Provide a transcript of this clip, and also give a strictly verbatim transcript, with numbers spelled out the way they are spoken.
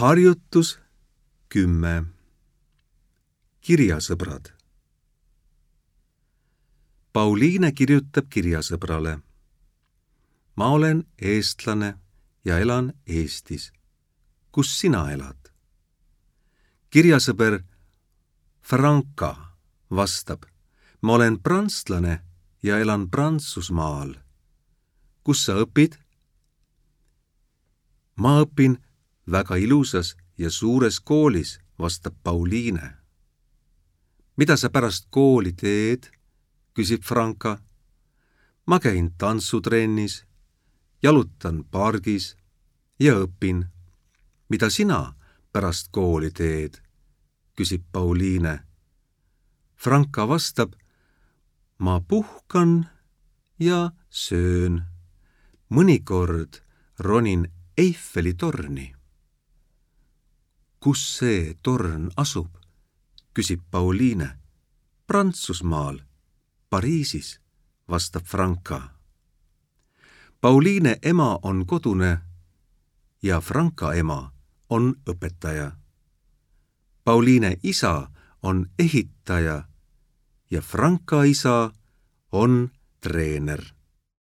Harjutus kümme. Kirjasõbrad. Pauliine kirjutab kirjasõbrale. Ma olen eestlane ja elan Eestis. Kus sina elad? Kirjasõber Franka vastab. Ma olen prantslane ja elan Prantsusmaal. Kus sa õpid? Ma õpin väga ilusas ja suures koolis, vastab Pauliine. Mida sa pärast kooli teed? Küsib Franka. Ma käin tantsutrennis, jalutan pargis ja õpin. Mida sina pärast kooli teed? Küsib Pauliine. Franka vastab. Ma puhkan ja söön. Mõnikord ronin Eiffeli torni. Kus see torn asub? Küsib Pauliine. Prantsusmaal, Pariisis, vastab Franka. Pauliine ema on kodune ja Franka ema on õpetaja. Pauliine isa on ehitaja ja Franka isa on treener.